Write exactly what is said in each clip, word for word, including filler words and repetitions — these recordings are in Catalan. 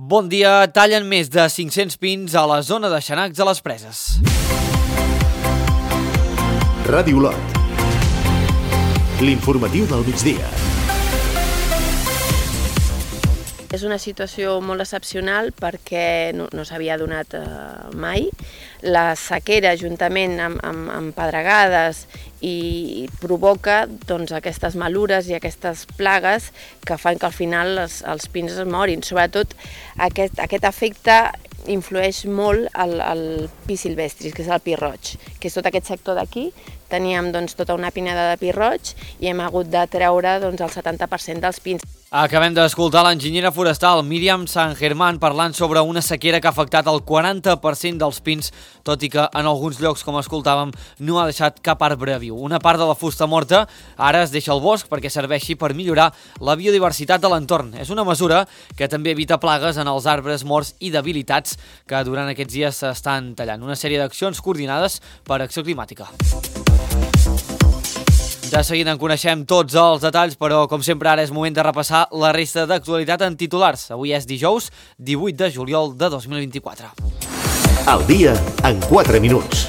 Bon dia, tallen més de cinc-cents pins a la zona de Xanacs a les Preses. Ràdio Lot. L'informatiu del migdia. És una situació molt excepcional perquè no, no s'havia donat eh, mai. La sequera, juntament amb, amb, amb pedregades, i provoca doncs, aquestes malures i aquestes plagues que fan que al final els, els pins es morin. Sobretot aquest, aquest efecte influeix molt al, al pi silvestris, que és el pi roig, que és tot aquest sector d'aquí. Teníem doncs, tota una pineda de pi roig i hem hagut de treure doncs, el setanta per cent dels pins. Acabem d'escoltar l'enginyera forestal Míriam San Germán parlant sobre una sequera que ha afectat el quaranta per cent dels pins, tot i que en alguns llocs, com escoltàvem, no ha deixat cap arbre viu. Una part de la fusta morta ara es deixa al bosc perquè serveixi per millorar la biodiversitat de l'entorn. És una mesura que també evita plagues en els arbres morts i debilitats que durant aquests dies s'estan tallant. Una sèrie d'accions coordinades per Acció Climàtica. De seguida en coneixem tots els detalls, però com sempre ara és moment de repassar la resta d'actualitat en titulars. Avui és dijous, divuit de juliol de dos mil vint-i-quatre. El dia en quatre minuts.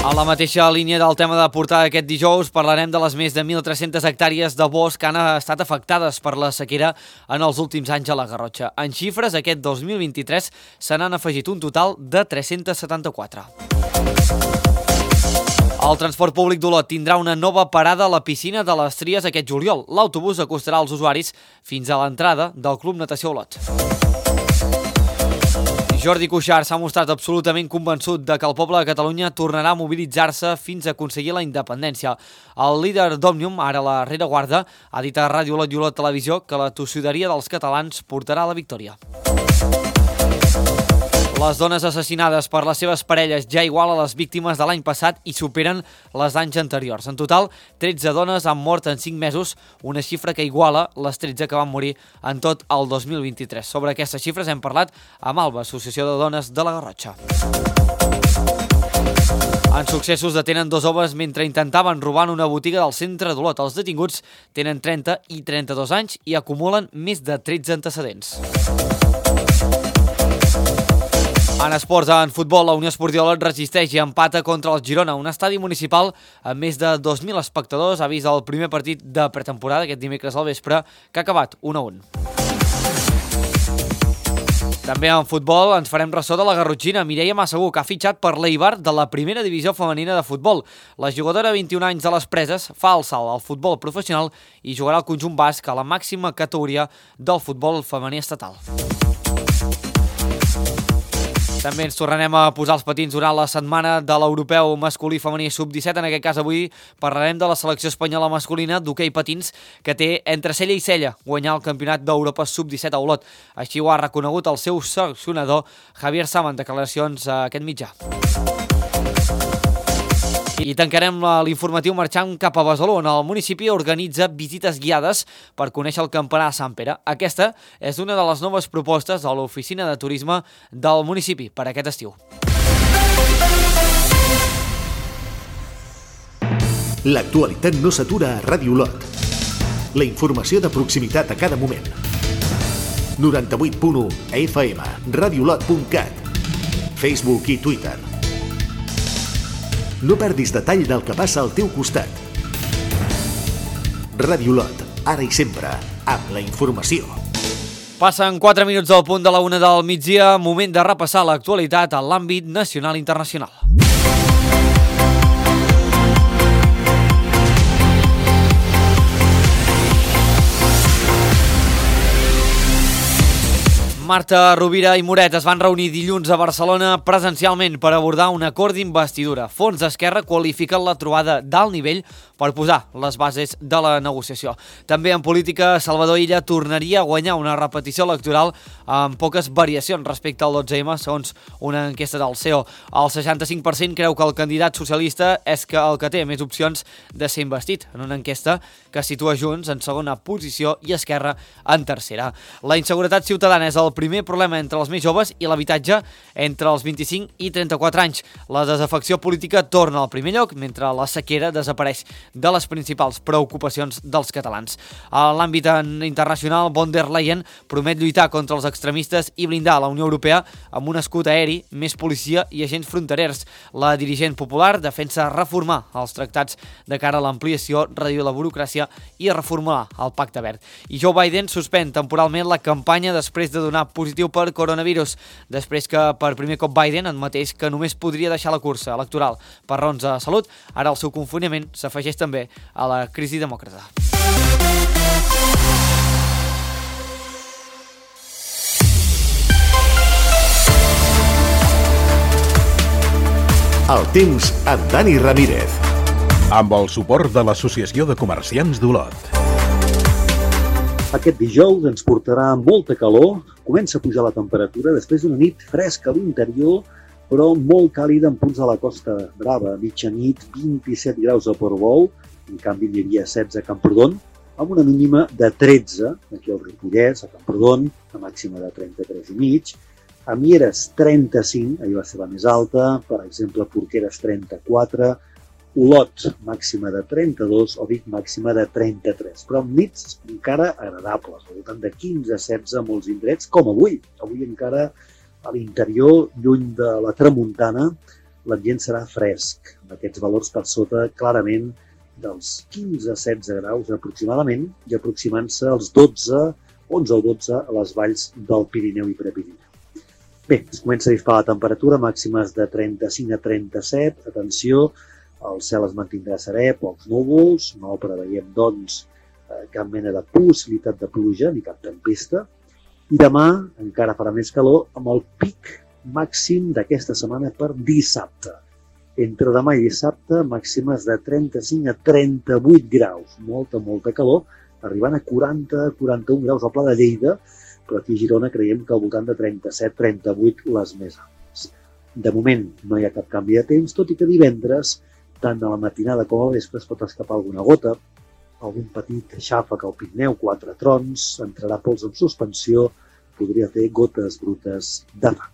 A la mateixa línia del tema de portada aquest dijous parlarem de les més de mil tres-centes hectàrees de bosc que han estat afectades per la sequera en els últims anys a la Garrotxa. En xifres, aquest dos mil vint-i-tres se n'han afegit un total de tres-cents setanta-quatre. El transport públic d'Olot tindrà una nova parada a la piscina de les Tries aquest juliol. L'autobús acostarà els usuaris fins a l'entrada del Club Natació Olot. Jordi Cuixart s'ha mostrat absolutament convençut de que el poble de Catalunya tornarà a mobilitzar-se fins a aconseguir la independència. El líder d'Òmnium, ara a la rereguarda, ha dit a Ràdio Olot i Olot Televisió que la tossuderia dels catalans portarà la victòria. Les dones assassinades per les seves parelles ja igualen les víctimes de l'any passat i superen les d'anys anteriors. En total, tretze dones han mort en cinc mesos, una xifra que iguala les tretze que van morir en tot el dos mil vint-i-tres. Sobre aquestes xifres hem parlat amb Alba, Associació de Dones de la Garrotxa. En successos detenen dos homes mentre intentaven robar en una botiga del centre d'Olot. Els detinguts tenen trenta i trenta-dos anys i acumulen més de tretze antecedents. En esports, en futbol, la Unió Esportiva Olot resisteix i empata contra el Girona. Un estadi municipal amb més de dos mil espectadors ha vist el primer partit de pretemporada aquest dimecres al vespre, que ha acabat un a un. També en futbol ens farem ressò de la garrotxina Mireia Massaguer, que ha fitxat per l'Eibar de la primera divisió femenina de futbol. La jugadora de vint-i-un anys de les Preses fa el salt al futbol professional i jugarà al conjunt basc a la màxima categoria del futbol femení estatal. També ens tornarem a posar els patins durant la setmana de l'europeu masculí femení sub disset. En aquest cas avui parlarem de la selecció espanyola masculina d'hoquei patins que té entre cella i cella guanyar el campionat d'Europa sub disset a Olot. Així ho ha reconegut el seu seleccionador Javier Sama en declaracions a aquest mitjà. I tancarem l'informatiu marxant cap a Besalú, on el municipi organitza visites guiades per conèixer el campanar de Sant Pere. Aquesta és una de les noves propostes de l'oficina de turisme del municipi per aquest estiu. L'actualitat no s'atura a Ràdio Olot. La informació de proximitat a cada moment. noranta-vuit punt u F M, radiolot punt cat, Facebook i Twitter. No perdis detall del que passa al teu costat. Ràdio Olot, ara i sempre, amb la informació. Passen quatre minuts del punt de la una del migdia, moment de repassar l'actualitat a l'àmbit nacional i internacional. Marta Rovira i Moret es van reunir dilluns a Barcelona presencialment per abordar un acord d'investidura. Fons d'Esquerra qualifiquen la trobada d'alt nivell per posar les bases de la negociació. També en política, Salvador Illa tornaria a guanyar una repetició electoral amb poques variacions respecte al dotze eme, segons una enquesta del C E O. El seixanta-cinc per cent creu que el candidat socialista és que el que té més opcions de ser investit, en una enquesta que situa Junts en segona posició i Esquerra en tercera. La inseguretat ciutadana és el primer problema entre els més joves i l'habitatge entre els vint-i-cinc i trenta-quatre anys. La desafecció política torna al primer lloc, mentre la sequera desapareix de les principals preocupacions dels catalans. A l'àmbit internacional, von der Leyen promet lluitar contra els extremistes i blindar la Unió Europea amb un escut aeri, més policia i agents fronterers. La dirigent popular defensa reformar els tractats de cara a l'ampliació, reduir la burocràcia i reformular el Pacte Verd. I Joe Biden suspèn temporalment la campanya després de donar positiu per coronavirus, després que per primer cop Biden admetés que només podria deixar la cursa electoral per raons de salut. Ara el seu confinament s'afegeix també a la crisi demòcrata. El temps amb Dani Ramírez. Amb el suport de l'Associació de Comerciants d'Olot. Aquest dijous ens portarà molta calor, comença a pujar la temperatura després d'una nit fresca a l'interior, però molt càlida en punts de la Costa Brava. Mitjanit, vint-i-set graus a Portbou, en canvi hi havia setze a Camprodon, amb una mínima de tretze, aquí al Ripollès, a Camprodon, la màxima de trenta-tres i mig, a Mieres trenta-cinc, ahir va ser la més alta, per exemple Porqueres trenta-quatre, Olot, màxima de trenta-dos, o Vic, màxima de trenta-tres, però amb nits encara agradables, al voltant de quinze a setze a molts indrets, com avui. Avui encara a l'interior, lluny de la tramuntana, l'ambient serà fresc, amb aquests valors per sota clarament dels quinze a setze graus aproximadament, i aproximant-se als dotze, onze o dotze a les valls del Pirineu i Prepirineu. Bé, es comença a disparar la temperatura, màximes de trenta-cinc a trenta-set, atenció, el cel es mantindrà serè, pocs núvols, no preveiem, doncs, cap mena de possibilitat de pluja ni cap tempesta. I demà encara farà més calor amb el pic màxim d'aquesta setmana per dissabte. Entre demà i dissabte, màximes de trenta-cinc a trenta-vuit graus. Molta, molta calor, arribant a quaranta a quaranta-un graus al Pla de Lleida, però aquí a Girona creiem que al voltant de trenta-set a trenta-vuit les més altes. De moment no hi ha cap canvi de temps, tot i que divendres tant a la matinada com al vespre es pot escapar alguna gota, algun petit xàfec al Pirineu, quatre trons, entrarà pols en suspensió, podria fer gotes brutes de fang.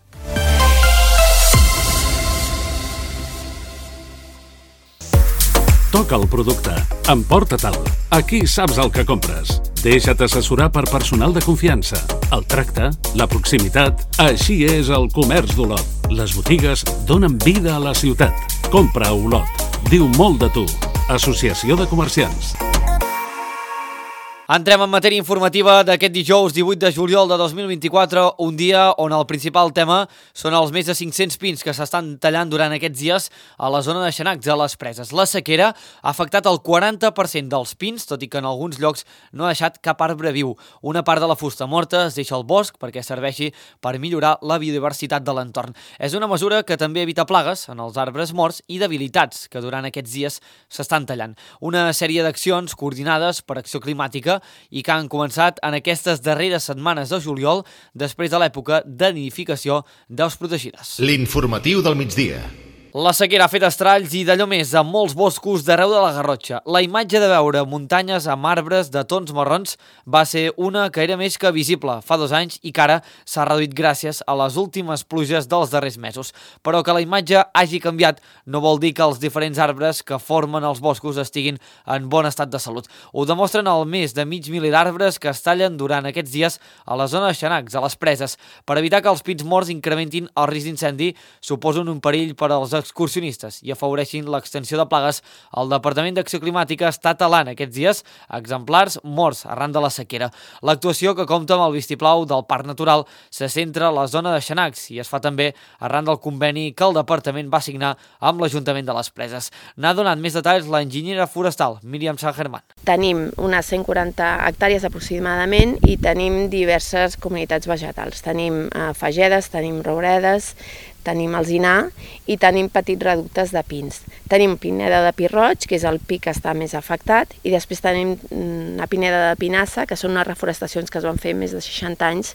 Toca el producte, emporta-te'l, aquí saps el que compres. Deixa't assessorar per personal de confiança. El tracte, la proximitat, així és el comerç d'Olot. Les botigues donen vida a la ciutat. Compra a Olot. Diu molt de tu. Associació de Comerciants. Entrem en matèria informativa d'aquest dijous divuit de juliol de dos mil vint-i-quatre, un dia on el principal tema són els més de cinc-cents pins que s'estan tallant durant aquests dies a la zona de Xanacs, a les Preses. La sequera ha afectat el quaranta per cent dels pins, tot i que en alguns llocs no ha deixat cap arbre viu. Una part de la fusta morta es deixa al bosc perquè serveixi per millorar la biodiversitat de l'entorn. És una mesura que també evita plagues en els arbres morts i debilitats que durant aquests dies s'estan tallant. Una sèrie d'accions coordinades per Acció Climàtica i que han començat en aquestes darreres setmanes de juliol després de l'època de nidificació d'aus protegides. L'informatiu del migdia. La sequera ha fet estralls i d'allò més a molts boscos d'arreu de la Garrotxa. La imatge de veure muntanyes amb arbres de tons marrons va ser una que era més que visible fa dos anys i que ara s'ha reduït gràcies a les últimes pluges dels darrers mesos. Però que la imatge hagi canviat no vol dir que els diferents arbres que formen els boscos estiguin en bon estat de salut. Ho demostren el més de mig miler d'arbres que es tallen durant aquests dies a la zona de Xanacs, a les Preses. Per evitar que els pins morts incrementin el risc d'incendi, suposen un perill per als excursionistes i afavoreixin l'extensió de plagues, el Departament d'Acció Climàtica està talant aquests dies exemplars morts arran de la sequera. L'actuació, que compta amb el vistiplau del Parc Natural, se centra a la zona de Xanacs i es fa també arran del conveni que el Departament va signar amb l'Ajuntament de les Preses. N'ha donat més detalls l'enginyera forestal, Míriam San Germán. Tenim unes cent quaranta hectàrees aproximadament i tenim diverses comunitats vegetals. Tenim eh, fagedes, tenim rouredes, tenim alzinar i tenim petits reductes de pins. Tenim pineda de pi roig, que és el pi que està més afectat, i després tenim una pineda de pinassa, que són unes reforestacions que es van fer més de seixanta anys,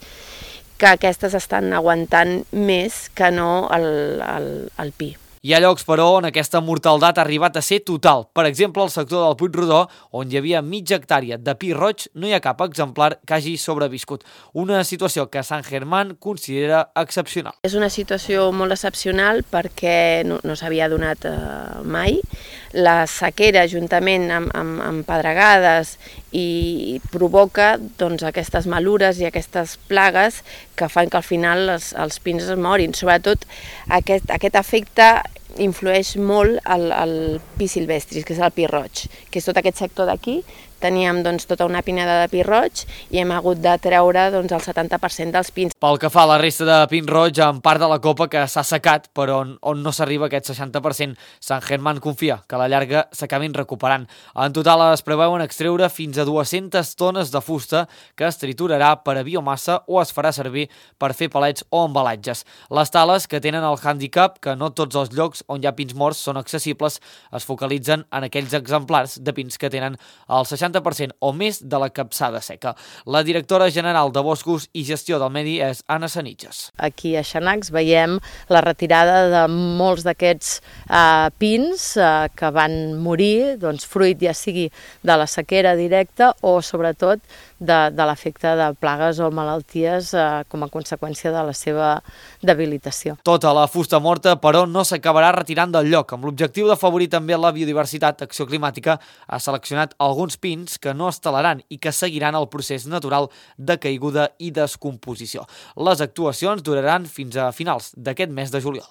que aquestes estan aguantant més que no el, el, el pi. Hi ha llocs, però, on aquesta mortaldat ha arribat a ser total. Per exemple, al sector del Puigrodó, on hi havia mitja hectàrea de pi roig, no hi ha cap exemplar que hagi sobreviscut. Una situació que Sant Germán considera excepcional. És una situació molt excepcional perquè no, no s'havia donat eh, mai. La sequera, juntament amb, amb, amb pedregades, i provoca doncs, aquestes malures i aquestes plagues que fan que al final els, els pins es morin. Sobretot aquest, aquest efecte influeix molt al, al pi silvestris, que és el pi roig, que és tot aquest sector d'aquí. Teníem doncs, tota una pineda de pi roig i hem hagut de treure doncs, el setanta per cent dels pins. Pel que fa a la resta de pin roig, en part de la copa que s'ha secat, però on, on no s'arriba a aquest seixanta per cent, Sant Germán confia que a la llarga s'acabin recuperant. En total es preveuen extreure fins a dues-centes tones de fusta que es triturarà per a biomassa o es farà servir per fer palets o embalatges. Les tales, que tenen el hàndicap que no tots els llocs on hi ha pins morts són accessibles, es focalitzen en aquells exemplars de pins que tenen el seixanta per cent o més de la capçada seca. La directora general de Boscos i Gestió del Medi és Anna Sanitges. Aquí a Xanacs veiem la retirada de molts d'aquests eh, pins eh, que van morir, doncs, fruit ja sigui de la sequera directa o sobretot de, de l'efecte de plagues o malalties eh, com a conseqüència de la seva debilitació. Tota la fusta morta, però, no s'acabarà retirant del lloc. Amb l'objectiu d'afavorir també la biodiversitat, Acció Climàtica ha seleccionat alguns pins que no es talaran i que seguiran el procés natural de caiguda i descomposició. Les actuacions duraran fins a finals d'aquest mes de juliol.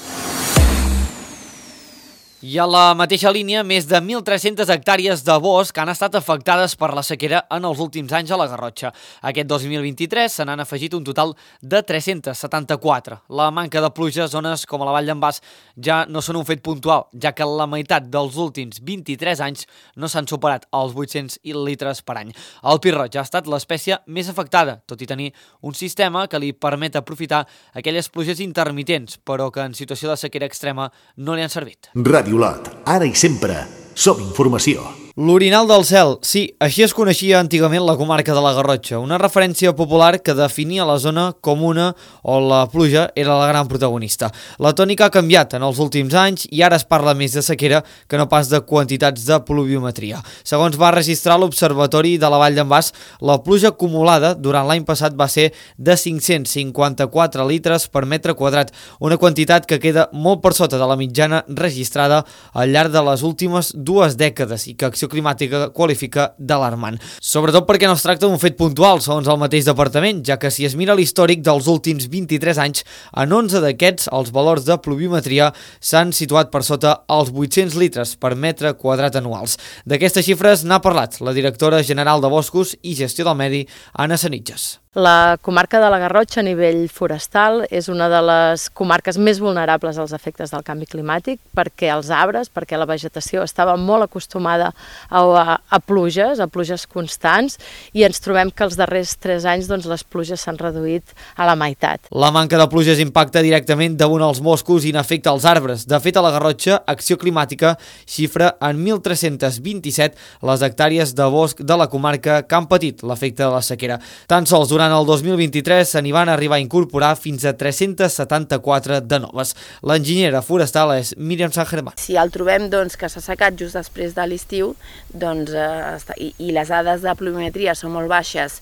I a la mateixa línia, més de mil tres-centes hectàrees de bosc han estat afectades per la sequera en els últims anys a la Garrotxa. Aquest dos mil vint-i-tres se n'han afegit un total de tres-centes setanta-quatre. La manca de pluja a zones com a la Vall d'en Bas ja no són un fet puntual, ja que la meitat dels últims vint-i-tres anys no s'han superat els vuit-cents litres per any. El pi roig ha estat l'espècie més afectada, tot i tenir un sistema que li permet aprofitar aquelles pluges intermitents, però que en situació de sequera extrema no li han servit. Ràdio Lot, ara i sempre, som informació. L'orinal del cel, sí, així es coneixia antigament la comarca de la Garrotxa, una referència popular que definia la zona com una on la pluja era la gran protagonista. La tònica ha canviat en els últims anys i ara es parla més de sequera que no pas de quantitats de pluviometria. Segons va registrar l'Observatori de la Vall d'en Bas, la pluja acumulada durant l'any passat va ser de cinc-cents cinquanta-quatre litres per metre quadrat, una quantitat que queda molt per sota de la mitjana registrada al llarg de les últimes dues dècades i que Acció Climàtica qualifica d'alarmant. Sobretot perquè no es tracta d'un fet puntual, segons el mateix departament, ja que si es mira l'històric dels últims vint-i-tres anys, en onze d'aquests els valors de pluviometria s'han situat per sota els vuit-cents litres per metre quadrat anuals. D'aquestes xifres n'ha parlat la directora general de Boscos i Gestió del Medi, Anna Sanitges. La comarca de la Garrotxa a nivell forestal és una de les comarques més vulnerables als efectes del canvi climàtic perquè els arbres, perquè la vegetació estava molt acostumada a, a, a pluges, a pluges constants, i ens trobem que els darrers tres anys doncs, les pluges s'han reduït a la meitat. La manca de pluges impacta directament damunt els boscos i n'afecta els arbres. De fet, a la Garrotxa, Acció Climàtica xifra en mil tres-cents vint-i-set les hectàrees de bosc de la comarca que han patit l'efecte de la sequera. Tan sols durant Durant el dos mil vint-i-tres se n'hi van arribar a incorporar fins a tres-centes setanta-quatre de noves. L'enginyera forestal és Míriam Sant Germán. Si el trobem doncs, que s'ha secat just després de l'estiu doncs, eh, i, i les dades de pluviometria són molt baixes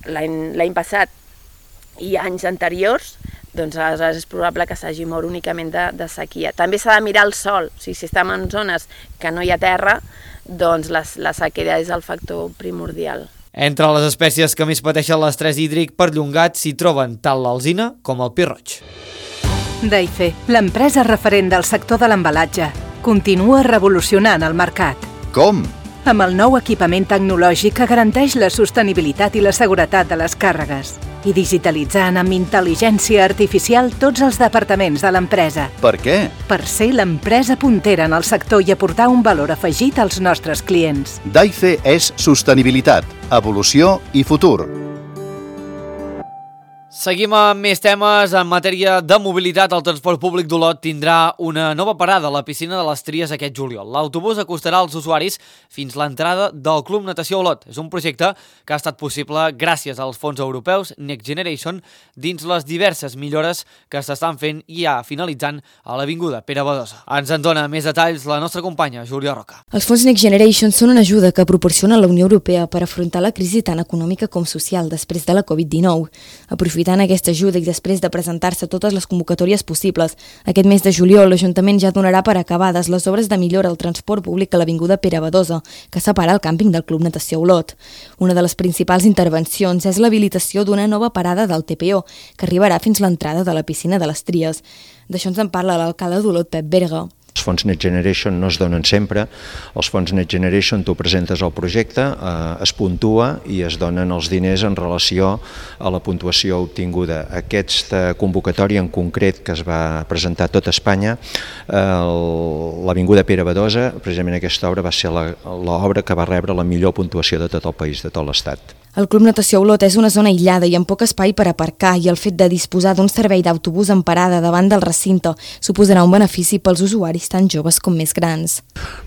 l'any passat i anys anteriors, doncs aleshores és probable que s'hagi mort únicament de, de sequia. També s'ha de mirar el sol. O sigui, si estem en zones que no hi ha terra, doncs la, la sequera és el factor primordial. Entre les espècies que més pateixen l'estrès hídric perllongat s'hi troben tant l'alzina com el pi roig. Daife, l'empresa referent del sector de l'embalatge, continua revolucionant el mercat. Com? Amb el nou equipament tecnològic que garanteix la sostenibilitat i la seguretat de les càrregues i digitalitzant amb intel·ligència artificial tots els departaments de l'empresa. Per què? Per ser l'empresa puntera en el sector i aportar un valor afegit als nostres clients. Daife és sostenibilitat, evolució i futur. Seguim amb més temes. En matèria de mobilitat, el transport públic d'Olot tindrà una nova parada a la piscina de les Tries aquest juliol. L'autobús acostarà als usuaris fins l'entrada del Club Natació Olot. És un projecte que ha estat possible gràcies als fons europeus Next Generation dins les diverses millores que s'estan fent i ja finalitzant a l'Avinguda Pere Badosa. Ens en dona més detalls la nostra companya Júlia Roca. Els fons Next Generation són una ajuda que proporciona la Unió Europea per afrontar la crisi tant econòmica com social després de la covid dinou. Aprofitant aquesta ajuda i després de presentar-se totes les convocatòries possibles, aquest mes de juliol l'Ajuntament ja donarà per acabades les obres de millora al transport públic a l'Avinguda Pere Badosa, que separa el càmping del Club Natació Olot. Una de les principals intervencions és l'habilitació d'una nova parada del T P O, que arribarà fins l'entrada de la piscina de les Tries. D'això ens en parla l'alcalde d'Olot, Pep Berga. Els fons Next Generation no es donen sempre. Els fons Next Generation, tu presentes el projecte, eh, es puntua i es donen els diners en relació a la puntuació obtinguda. Aquesta convocatòria en concret que es va presentar a tot Espanya, eh, l'Avinguda Pere Badosa, precisament aquesta obra va ser l'obra que va rebre la millor puntuació de tot el país, de tot l'Estat. El Club Natació Olot és una zona aïllada i amb poc espai per aparcar, i el fet de disposar d'un servei d'autobús en parada davant del recinte suposarà un benefici pels usuaris tant joves com més grans.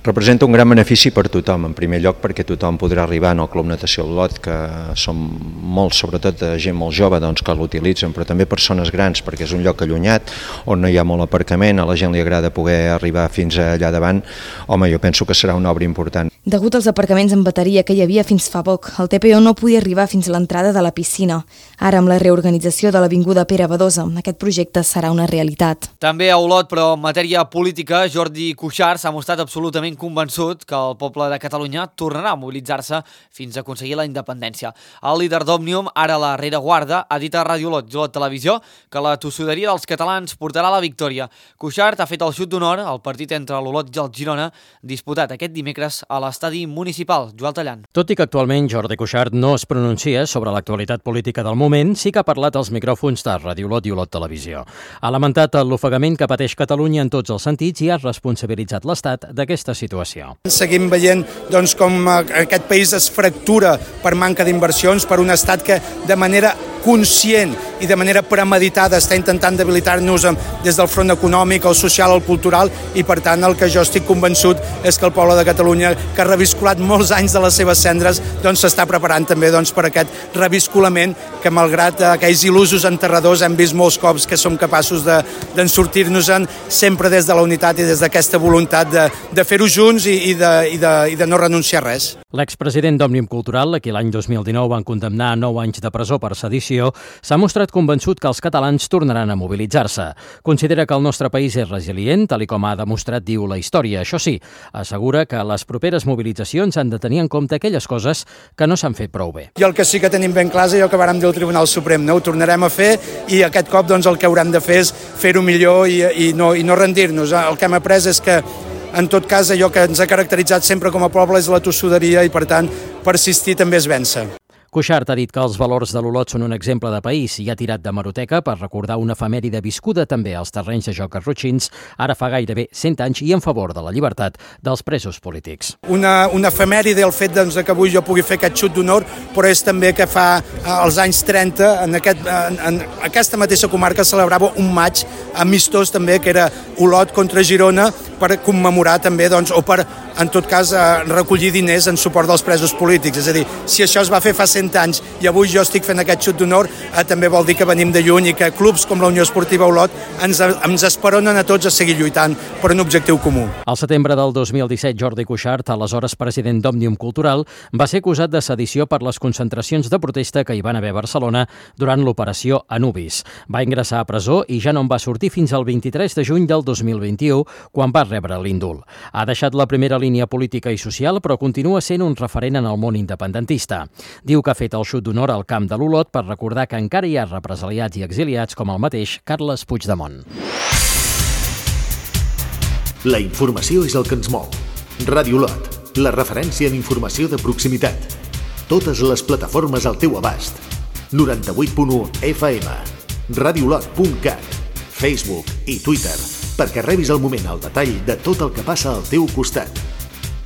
Representa un gran benefici per tothom, en primer lloc perquè tothom podrà arribar al Club Natació Olot, que són molts, sobretot de gent molt jove doncs, que l'utilitzen, però també persones grans, perquè és un lloc allunyat on no hi ha molt aparcament, a la gent li agrada poder arribar fins allà davant. Home, jo penso que serà una obra important. Degut als aparcaments en bateria que hi havia fins fa poc, el T P O no podia arribar fins a l'entrada de la piscina. Ara, amb la reorganització de l'Avinguda Pere Badosa, aquest projecte serà una realitat. També a Olot, però en matèria política, Jordi Cuixart s'ha mostrat absolutament convençut que el poble de Catalunya tornarà a mobilitzar-se fins a aconseguir la independència. El líder d'Òmnium, ara la rereguarda, ha dit a Ràdio Olot i Olot Televisió que la tossuderia dels catalans portarà la victòria. Cuixart ha fet el xut d'honor al partit entre l'Olot i el Girona, disputat aquest dimecres a l'estadi municipal. Joel Tallant. Tot i que actualment Jordi Cuixart no es pronuncia sobre l'actualitat política del moment, sí que ha parlat als micròfons de Ràdio Olot i Olot Televisió. Ha lamentat l'ofegament que pateix Catalunya en tots els sentits i ha responsabilitzat l'Estat d'aquesta situació. Seguim veient doncs, com aquest país es fractura per manca d'inversions, per un estat que de manera conscient i de manera premeditada està intentant debilitar-nos des del front econòmic, el social, el cultural, i per tant el que jo estic convençut és que el poble de Catalunya, que ha revisculat molts anys de les seves cendres, doncs s'està preparant també doncs, per aquest revisculament que, malgrat aquells il·lusos enterradors, hem vist molts cops que som capaços de, d'en sortir-nos-en sempre des de la unitat i des d'aquesta voluntat de, de fer-ho junts i, i, de, i, de, i de no renunciar a res. L'expresident d'Òmnium Cultural, a qui l'any dos mil dinou van condemnar a nou anys de presó per sedició, s'ha mostrat convençut que els catalans tornaran a mobilitzar-se. Considera que el nostre país és resilient, tal com ha demostrat, diu, la història. Això sí, assegura que les properes mobilitzacions han de tenir en compte aquelles coses que no s'han fet prou bé. I el que sí que tenim ben clar és allò que vàrem dir al Tribunal Suprem, no? Ho tornarem a fer i aquest cop doncs, el que haurem de fer és fer-ho millor i, i, no, i no rendir-nos. El que hem après és que en tot cas, allò que ens ha caracteritzat sempre com a poble és la tossuderia i, per tant, persistir també és vèncer. Cuixart ha dit que els valors de l'Olot són un exemple de país i ha tirat de meroteca per recordar una efemèride viscuda també als terrenys de joc arrotxins, ara fa gairebé cent anys, i en favor de la llibertat dels presos polítics. Una, una efemèride el fet doncs, que avui jo pugui fer aquest xut d'honor, però és també que fa als anys trenta, en, aquest, en, en aquesta mateixa comarca, celebrava un maig amistós també, que era Olot contra Girona, per commemorar també, doncs, o per, en tot cas, recollir diners en suport dels presos polítics. És a dir, si això es va fer fa cent anys i avui jo estic fent aquest xut d'honor, eh, també vol dir que venim de lluny i que clubs com la Unió Esportiva Olot ens, ens esperonen a tots a seguir lluitant per un objectiu comú. Al setembre del dos mil disset, Jordi Cuixart, aleshores president d'Òmnium Cultural, va ser acusat de sedició per les concentracions de protesta que hi van haver a Barcelona durant l'operació Anubis. Va ingressar a presó i ja no en va sortir fins al vint-i-tres de juny del dos mil vint-i-u, quan va rebre l'indult. Ha deixat la primera línia política i social, però continua sent un referent en el món independentista. Diu que ha fet el xut d'honor al camp de l'Olot per recordar que encara hi ha represaliats i exiliats com el mateix Carles Puigdemont. La informació és el que ens mou. Ràdio Olot, la referència en informació de proximitat. Totes les plataformes al teu abast. noranta-vuit punt u F M, radiolot punt cat, Facebook i Twitter, perquè rebis al moment el detall de tot el que passa al teu costat.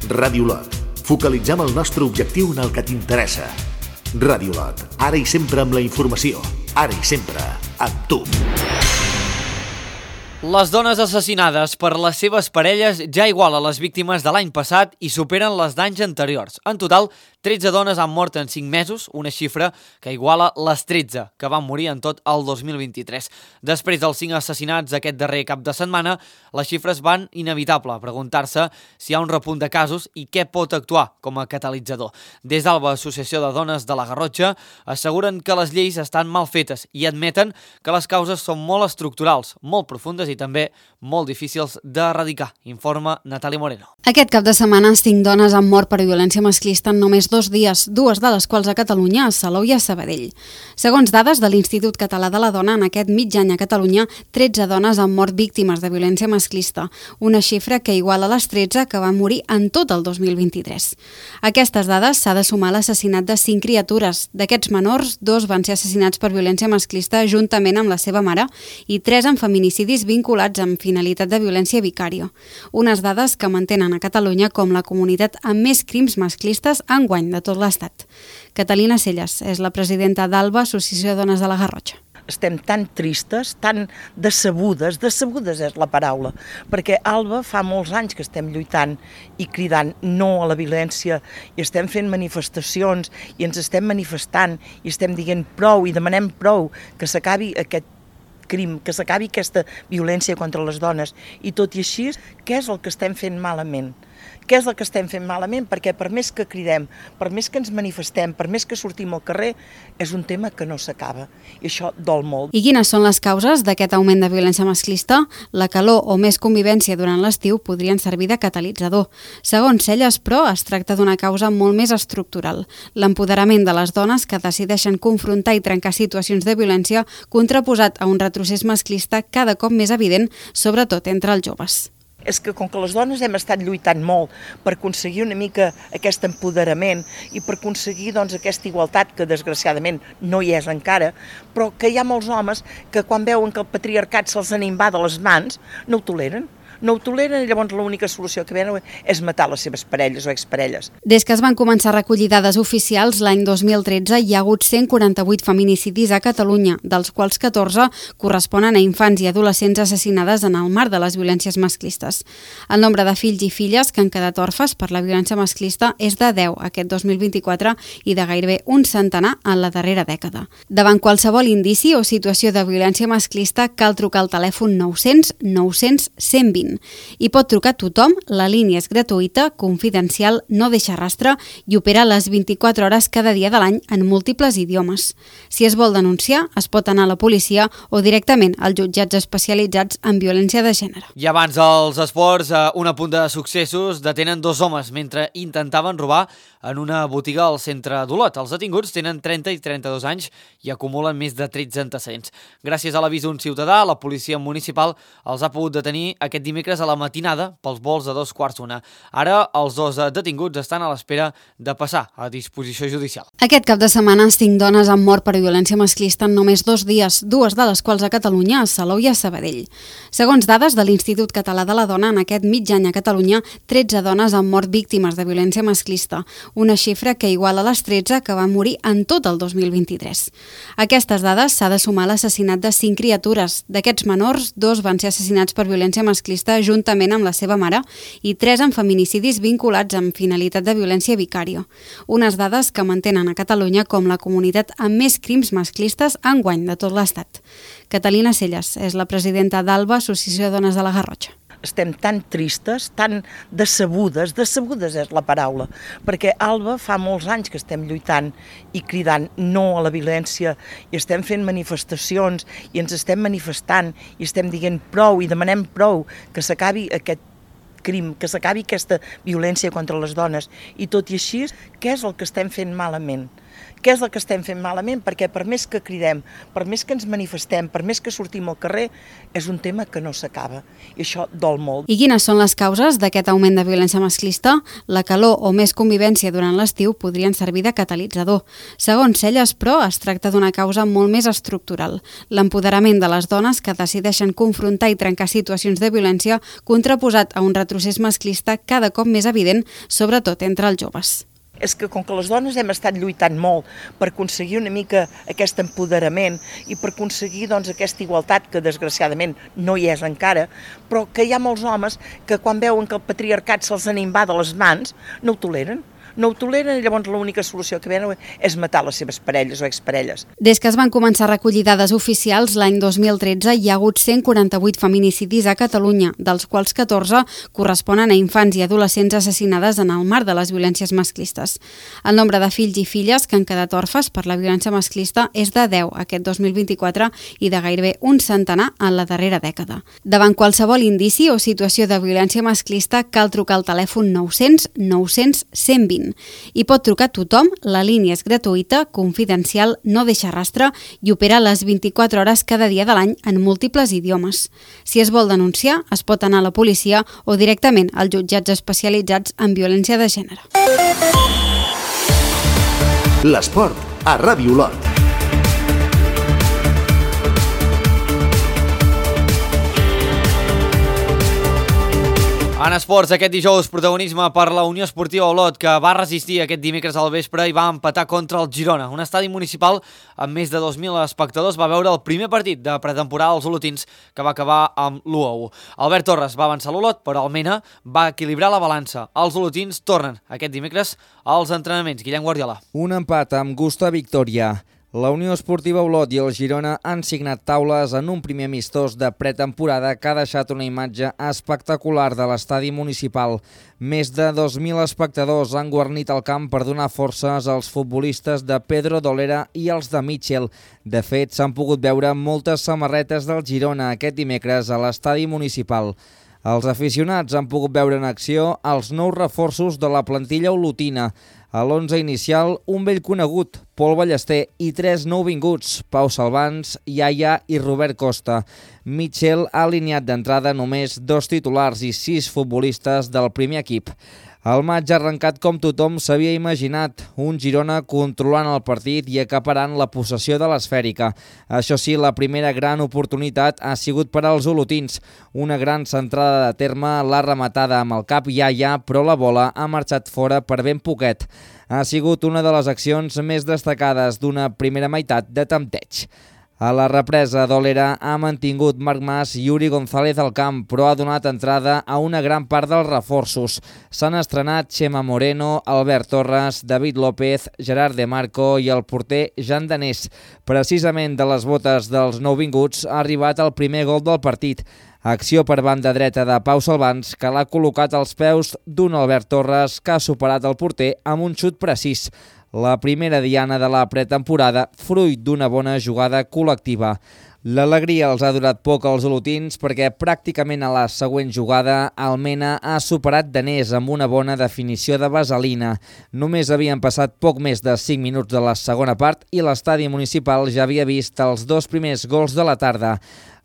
Ràdio Olot. Focalitzem el nostre objectiu en el que t'interessa. Ràdio Olot, ara i sempre amb la informació, ara i sempre, amb tu. Les dones assassinades per les seves parelles ja igualen les víctimes de l'any passat i superen les d'anys anteriors. En total, tretze dones han mort en cinc mesos, una xifra que iguala les tretze que van morir en tot el dos mil vint-i-tres. Després dels cinc assassinats aquest darrer cap de setmana, les xifres van inevitable a preguntar-se si hi ha un repunt de casos i què pot actuar com a catalitzador. Des d'Alba, Associació de Dones de la Garrotxa, asseguren que les lleis estan mal fetes i admeten que les causes són molt estructurals, molt profundes i també molt difícils d'erradicar, informa Natàlia Moreno. Aquest cap de setmana, cinc dones han mort per violència masclista en només dos dies, dues de les quals a Catalunya, a Salou i a Sabadell. Segons dades de l'Institut Català de la Dona, en aquest mig any a Catalunya, tretze dones han mort víctimes de violència masclista, una xifra que iguala les tretze que van morir en tot el dos mil vint-i-tres. A aquestes dades s'ha de sumar l'assassinat de cinc criatures. D'aquests menors, dos van ser assassinats per violència masclista juntament amb la seva mare i tres en feminicidis vinculats amb finalitat de violència vicària. Unes dades que mantenen a Catalunya com la comunitat amb més crims masclistes enguany de tot l'Estat. Catalina Celles és la presidenta d'Alba, Associació de Dones de la Garrotxa. Estem tan tristes, tan decebudes, decebudes és la paraula, perquè Alba fa molts anys que estem lluitant i cridant no a la violència i estem fent manifestacions i ens estem manifestant i estem dient prou i demanem prou que s'acabi aquest crim, que s'acabi aquesta violència contra les dones. I tot i així, què és el que estem fent malament? Què és el que estem fent malament? Perquè per més que cridem, per més que ens manifestem, per més que sortim al carrer, és un tema que no s'acaba. I això dol molt. I quines són les causes d'aquest augment de violència masclista? La calor o més convivència durant l'estiu podrien servir de catalitzador. Segons Celles, però, es tracta d'una causa molt més estructural. L'empoderament de les dones que decideixen confrontar i trencar situacions de violència contraposat a un retrocés masclista cada cop més evident, sobretot entre els joves. És que com que les dones hem estat lluitant molt per aconseguir una mica aquest empoderament i per aconseguir doncs, aquesta igualtat que desgraciadament no hi és encara, però que hi ha molts homes que quan veuen que el patriarcat se'ls n'inva de les mans no ho toleren. No ho toleren i llavors l'única solució que venen és matar les seves parelles o exparelles. Des que es van començar a recollir dades oficials, l'any dos mil tretze hi ha hagut cent quaranta-vuit feminicidis a Catalunya, dels quals catorze corresponen a infants i adolescents assassinades en el marc de les violències masclistes. El nombre de fills i filles que han quedat orfes per la violència masclista és de deu aquest dos mil vint-i-quatre i de gairebé un centenar en la darrera dècada. Davant qualsevol indici o situació de violència masclista cal trucar al telèfon nou-cents nou-cents cent vint. I pot trucar tothom, la línia és gratuïta, confidencial, no deixa rastre i opera les vint-i-quatre hores cada dia de l'any en múltiples idiomes. Si es vol denunciar, es pot anar a la policia o directament als jutjats especialitzats en violència de gènere. I abans dels esports, un apunt de successos, detenen dos homes mentre intentaven robar en una botiga al centre d'Olot. Els detinguts tenen trenta i trenta-dos anys i acumulen més de tretze antecedents. Gràcies a l'avís d'un ciutadà, la policia municipal els ha pogut detenir aquest dimecres a la matinada pels vols de dos quarts d'una. Ara els dos detinguts estan a l'espera de passar a disposició judicial. Aquest cap de setmana, cinc dones han mort per violència masclista en només dos dies, dues de les quals a Catalunya, a Salou i a Sabadell. Segons dades de l'Institut Català de la Dona, en aquest mig any a Catalunya, tretze dones han mort víctimes de violència masclista, una xifra que iguala les tretze que van morir en tot el dos mil vint-i-tres. A aquestes dades s'ha de sumar l'assassinat de cinc criatures. D'aquests menors, dos van ser assassinats per violència masclista juntament amb la seva mare i tres en feminicidis vinculats amb finalitat de violència vicària. Unes dades que mantenen a Catalunya com la comunitat amb més crims masclistes enguany de tot l'Estat. Catalina Celles és la presidenta d'Alba, Associació de Dones de la Garrotxa. Estem tan tristes, tan decebudes, decebudes és la paraula, perquè Alba fa molts anys que estem lluitant i cridant no a la violència i estem fent manifestacions i ens estem manifestant i estem dient prou i demanem prou que s'acabi aquest crim, que s'acabi aquesta violència contra les dones. I tot i així, què és el que estem fent malament? Què és el que estem fent malament? Perquè per més que cridem, per més que ens manifestem, per més que sortim al carrer, és un tema que no s'acaba. I això dol molt. I quines són les causes d'aquest augment de violència masclista? La calor o més convivència durant l'estiu podrien servir de catalitzador. Segons Celles, però, es tracta d'una causa molt més estructural. L'empoderament de les dones que decideixen confrontar i trencar situacions de violència, contraposat a un retrocés masclista cada cop més evident, sobretot entre els joves. és que com que les dones hem estat lluitant molt per aconseguir una mica aquest empoderament i per aconseguir doncs, aquesta igualtat que desgraciadament no hi és encara, però que hi ha molts homes que quan veuen que el patriarcat se'ls n'invada les mans no ho toleren. No ho toleren i llavors l'única solució que venen és matar les seves parelles o exparelles. Des que es van començar a recollir dades oficials l'any dos mil tretze hi ha hagut cent quaranta-vuit feminicidis a Catalunya, dels quals catorze corresponen a infants i adolescents assassinades en el marc de les violències masclistes. El nombre de fills i filles que han quedat orfes per la violència masclista és de deu aquest dos mil vint-i-quatre i de gairebé un centenar en la darrera dècada. Davant qualsevol indici o situació de violència masclista cal trucar al telèfon nou-cents nou-cents cent vint. I pot trucar tothom, la línia és gratuïta, confidencial, no deixa rastre i opera les vint-i-quatre hores cada dia de l'any en múltiples idiomes. Si es vol denunciar, es pot anar a la policia o directament als jutjats especialitzats en violència de gènere. L'esport a Ràdio Olot. En esports, aquest dijous, protagonisme per la Unió Esportiva Olot, que va resistir aquest dimecres al vespre i va empatar contra el Girona. Un estadi municipal amb més de dos mil espectadors va veure el primer partit de pretemporada als olotins, que va acabar amb l'u a u. Albert Torres va avançar l'Olot, però el Mena va equilibrar la balança. Els olotins tornen aquest dimecres als entrenaments. Guillem Guardiola. Un empat amb gust a victòria. La Unió Esportiva Olot i el Girona han signat taules en un primer amistós de pretemporada que ha deixat una imatge espectacular de l'estadi municipal. Més de dos mil espectadors han guarnit el camp per donar forces als futbolistes de Pedro Dolera i els de Mitchell. De fet, s'han pogut veure moltes samarretes del Girona aquest dimecres a l'estadi municipal. Els aficionats han pogut veure en acció els nous reforços de la plantilla olotina. A l'onze inicial, un vell conegut, Pol Ballester, i tres nouvinguts, Pau Salvans, Iaia i Robert Costa. Mitchell ha alineat d'entrada només dos titulars i sis futbolistes del primer equip. El maig ha arrencat com tothom s'havia imaginat, un Girona controlant el partit i acaparant la possessió de l'esfèrica. Això sí, la primera gran oportunitat ha sigut per als olotins. Una gran centrada de terme l'ha rematada amb el cap Iaia, però la bola ha marxat fora per ben poquet. Ha sigut una de les accions més destacades d'una primera meitat de tempteig. A la represa, Dolera ha mantingut Marc Mas i Yuri González al camp, però ha donat entrada a una gran part dels reforços. S'han estrenat Xema Moreno, Albert Torres, David López, Gerard De Marco i el porter Jan Danés. Precisament de les botes dels nouvinguts ha arribat el primer gol del partit. Acció per banda dreta de Pau Salvans, que l'ha col·locat als peus d'un Albert Torres que ha superat el porter amb un xut precís. La primera diana de la pretemporada, fruit d'una bona jugada col·lectiva. L'alegria els ha durat poc als olotins perquè pràcticament a la següent jugada el Mena ha superat Danés amb una bona definició de vaselina. Només havien passat poc més de cinc minuts de la segona part i l'estadi municipal ja havia vist els dos primers gols de la tarda.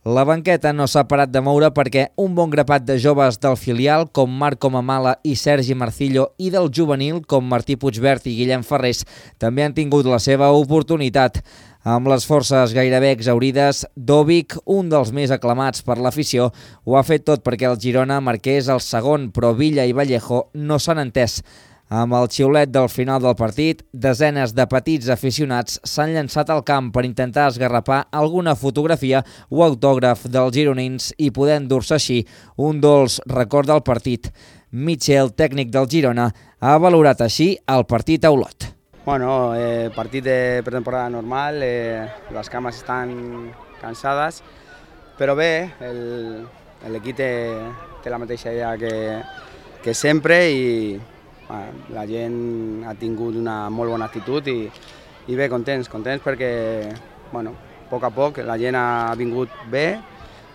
La banqueta no s'ha parat de moure perquè un bon grapat de joves del filial com Marco Mamala i Sergi Marcillo i del juvenil com Martí Puigvert i Guillem Ferrés també han tingut la seva oportunitat. Amb les forces gairebé exaurides, Dovic, un dels més aclamats per l'afició, ho ha fet tot perquè el Girona marqués el segon, però Villa i Vallejo no s'han entès. Amb el xiulet del final del partit, desenes de petits aficionats s'han llançat al camp per intentar esgarrapar alguna fotografia o autògraf dels gironins i poder endur-se així un dolç record del partit. Mitchell, tècnic del Girona, ha valorat així el partit a Olot. Bueno, eh, partit de pretemporada normal, eh, les cames estan cansades, però bé, l'equip té, té la mateixa idea que, que sempre i la gent ha tingut una molt bona actitud i, i bé, contents, contents perquè, bueno, a poc a poc la gent ha vingut bé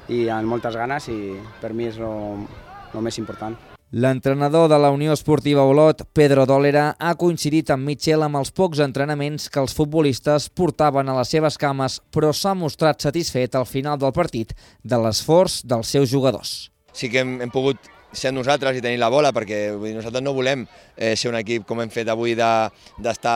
i amb moltes ganes i per mi és el més important. L'entrenador de la Unió Esportiva Olot, Pedro Dolera, ha coincidit amb Mitchell amb els pocs entrenaments que els futbolistes portaven a les seves cames, però s'ha mostrat satisfet al final del partit de l'esforç dels seus jugadors. Sí que hem, hem pogut ser nosaltres i tenir la bola, perquè vull dir, nosaltres no volem eh, ser un equip com hem fet avui d'estar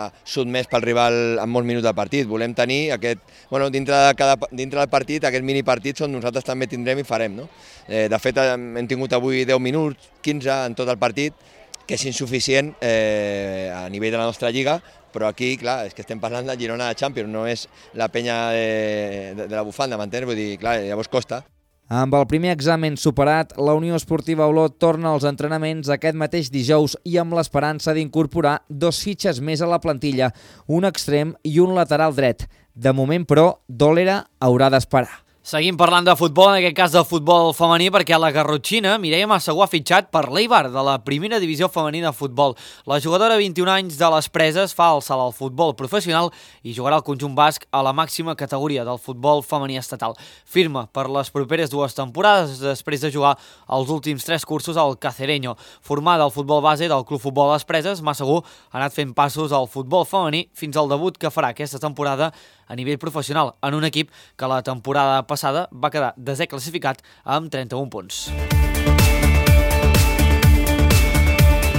de, sotmès pel rival en molts minuts del partit. Volem tenir aquest, bueno, dintre, de cada, dintre del partit, aquest mini partit on nosaltres també tindrem i farem. No? Eh, de fet, hem tingut avui deu minuts, quinze en tot el partit, que és insuficient eh, a nivell de la nostra lliga, però aquí, clar, és que estem parlant del Girona de Champions, no és la penya de, de, de la bufanda, m'entens? Vull dir, clar, llavors costa. Amb el primer examen superat, la Unió Esportiva Olot torna als entrenaments aquest mateix dijous i amb l'esperança d'incorporar dos fitxes més a la plantilla, un extrem i un lateral dret. De moment, però, Dòlera haurà d'esperar. Seguim parlant de futbol, en aquest cas del futbol femení, perquè la garrotxina Mireia Massagó ha fitxat per l'Eibar, de la primera divisió femenina de futbol. La jugadora de vint-i-un anys de les Preses fa el salt al futbol professional i jugarà al conjunt basc a la màxima categoria del futbol femení estatal. Firma per les properes dues temporades després de jugar els últims tres cursos al Cacereño. Formada al futbol base del Club Futbol Les Preses, Massagó ha anat fent passos al futbol femení fins al debut que farà aquesta temporada a nivell professional en un equip que la temporada passada va quedar desè classificat amb trenta-un punts.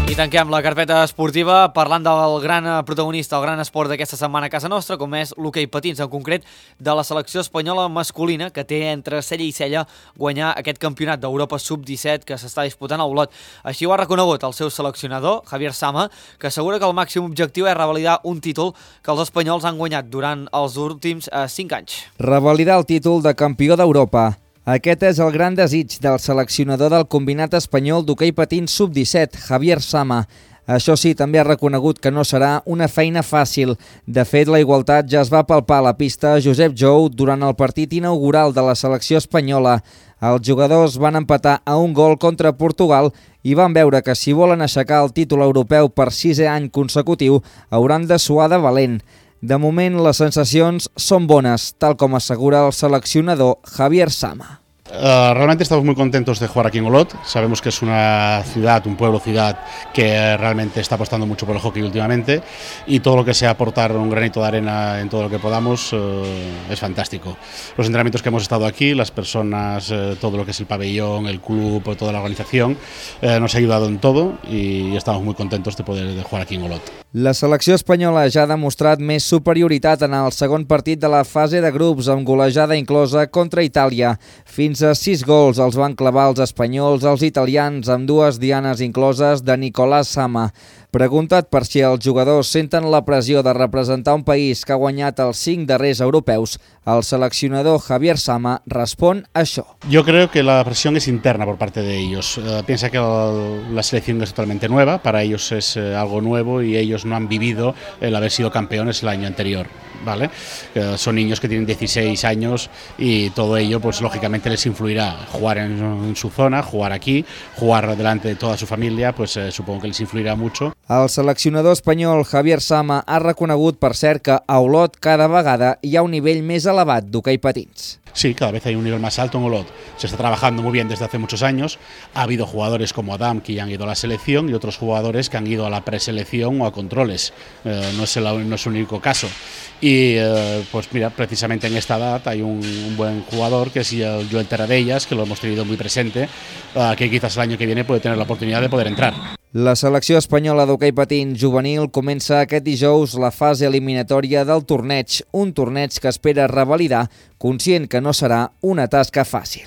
I tanquem la carpeta esportiva parlant del gran protagonista, el gran esport d'aquesta setmana a casa nostra, com és l'hoquei patins, en concret de la selecció espanyola masculina, que té entre cella i cella guanyar aquest campionat d'Europa sub disset que s'està disputant a Olot. Així ho ha reconegut el seu seleccionador, Javier Sama, que assegura que el màxim objectiu és revalidar un títol que els espanyols han guanyat durant els últims eh, cinc anys. Revalidar el títol de campió d'Europa. Aquest és el gran desig del seleccionador del combinat espanyol d'hoquei patins sub disset, Javier Sama. Això sí, també ha reconegut que no serà una feina fàcil. De fet, la igualtat ja es va palpar a la pista Josep Jou durant el partit inaugural de la selecció espanyola. Els jugadors van empatar a un gol contra Portugal i van veure que si volen aixecar el títol europeu per sisè any consecutiu hauran de suar de valent. De moment, les sensacions són bones, tal com assegura el seleccionador Javier Sama. Uh, realmente estamos muy contentos de jugar aquí en Olot. Sabemos que es una ciudad, un pueblo ciudad que realmente está apostando mucho por el hockey últimamente y todo lo que sea aportar un granito de arena en todo lo que podamos uh, es fantástico. Los entrenamientos que hemos estado aquí, las personas, uh, todo lo que es el pabellón, el club, toda la organización, uh, nos ha ayudado en todo y estamos muy contentos de poder de jugar aquí en Olot. La selecció espanyola ja ha demostrat més superioritat en el segon partit de la fase de grups amb golejada inclosa contra Itàlia. Fins a sis gols els van clavar els espanyols als italians amb dues dianes incloses de Nicolás Sama. Preguntat per si els jugadors senten la pressió de representar un país que ha guanyat els cinc darrers europeus, el seleccionador Javier Sama respon això. Yo creo que la presión es interna por parte de ellos. Uh, piensa que el, la selección es totalmente nueva, para ellos es uh, algo nuevo y ellos no han vivido el haber sido campeones el año anterior, ¿vale? Uh, son niños que tienen dieciséis años y todo ello, pues lógicamente les influirá. Jugar en, en su zona, jugar aquí, jugar delante de toda su familia, pues uh, supongo que les influirá mucho. El seleccionador espanyol Javier Sama ha reconegut, per cert, que a Olot cada vegada hi ha un nivell més elevat d'hoquei patins. Sí, cada vez hay un nivel más alto en Olot. Se está trabajando muy bien desde hace muchos años. Ha habido jugadores como Adam que ya han ido a la selección y otros jugadores que han ido a la preselección o a controles. Eh, no, es el, no es el único caso. Y eh, pues mira, precisamente en esta edad hay un, un buen jugador que es el Joel Terradellas, que lo hemos tenido muy presente, eh, que quizás el año que viene puede tener la oportunidad de poder entrar. La selecció espanyola d'hoquei patins juvenil comença aquest dijous la fase eliminatòria del torneig, un torneig que espera revalidar, conscient que no serà una tasca fàcil.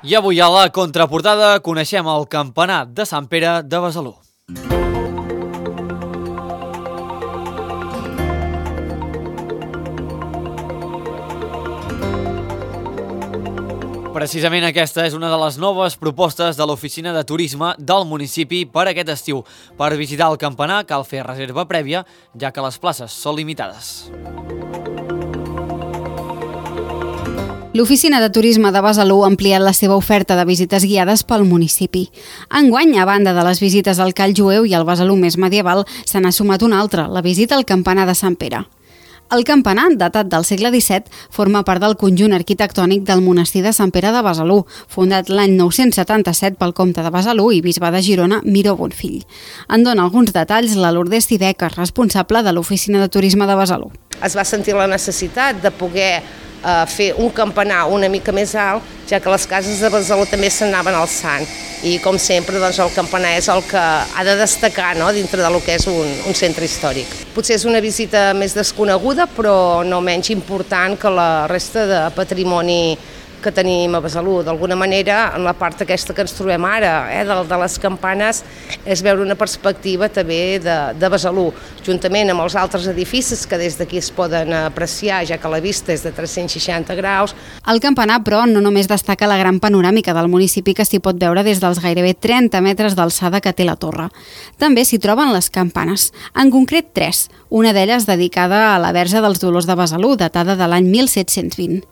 I avui a la contraportada coneixem el campanar de Sant Pere de Besalú. Precisament aquesta és una de les noves propostes de l'oficina de turisme del municipi per aquest estiu. Per visitar el campanar cal fer reserva prèvia, ja que les places són limitades. L'Oficina de Turisme de Besalú ha ampliat la seva oferta de visites guiades pel municipi. Enguany, a banda de les visites al Call Jueu i al Besalú més medieval, se n'ha sumat una altra, la visita al campanar de Sant Pere. El campanar, datat del segle disset, forma part del conjunt arquitectònic del monestir de Sant Pere de Besalú, fundat l'any nou-cents setanta-set pel comte de Besalú i bisbe de Girona, Miró Bonfill. En dona alguns detalls la Lourdes Tideca, responsable de l'Oficina de Turisme de Besalú. Es va sentir la necessitat de poder eh, fer un campanar una mica més alt, ja que les cases de Besalú també s'anaven alçant. I, com sempre, doncs, el campanar és el que ha de destacar, no?, dintre del que és un, un centre històric. Potser és una visita més desconeguda, però no menys important que la resta de patrimoni que tenim a Besalú. D'alguna manera, en la part aquesta que ens trobem ara, eh, de, de les campanes, és veure una perspectiva també de, de Besalú, juntament amb els altres edificis que des d'aquí es poden apreciar, ja que la vista és de tres-cents seixanta graus. El campanar, però, no només destaca la gran panoràmica del municipi que s'hi pot veure des dels gairebé trenta metres d'alçada que té la torre. També s'hi troben les campanes, en concret tres, una d'elles dedicada a la Verge dels Dolors de Besalú, datada de l'any mil set-cents vint.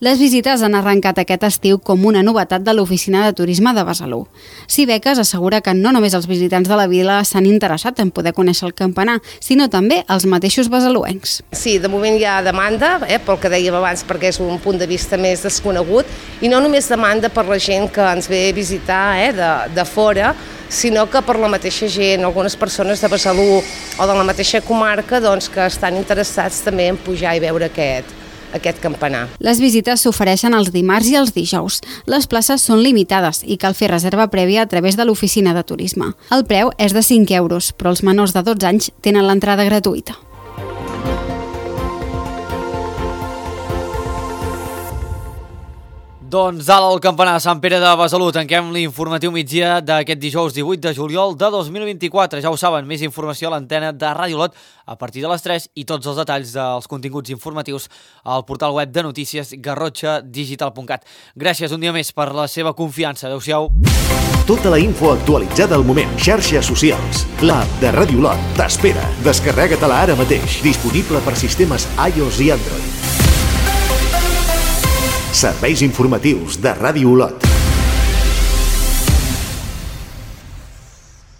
Les visites han arrencat aquest estiu com una novetat de l'Oficina de Turisme de Besalú. Cibeques assegura que no només els visitants de la vila s'han interessat en poder conèixer el campanar, sinó també els mateixos besaluencs. Sí, de moment hi ha demanda, eh, pel que dèiem abans, perquè és un punt de vista més desconegut, i no només demanda per la gent que ens ve a visitar eh, de, de fora, sinó que per la mateixa gent, algunes persones de Besalú o de la mateixa comarca doncs, que estan interessats també en pujar i veure aquest, aquest campanar. Les visites s'ofereixen els dimarts i els dijous. Les places són limitades i cal fer reserva prèvia a través de l'oficina de turisme. El preu és de cinc euros, però els menors de dotze anys tenen l'entrada gratuïta. Doncs alt al campanar de Sant Pere de Besalú. Tanquem l'informatiu migdia d'aquest dijous divuit de juliol de dos mil vint-i-quatre. Ja ho saben, més informació a l'antena de Ràdio Olot a partir de les tres i tots els detalls dels continguts informatius al portal web de notícies garrotxa digital punt cat. Gràcies un dia més per la seva confiança. Adéu-siau. Tota la info actualitzada al moment. Xarxes socials. L'app de Ràdio Olot t'espera. Descarrega-te-la ara mateix. Disponible per sistemes iOS i Android. Serveis informatius de Ràdio Olot.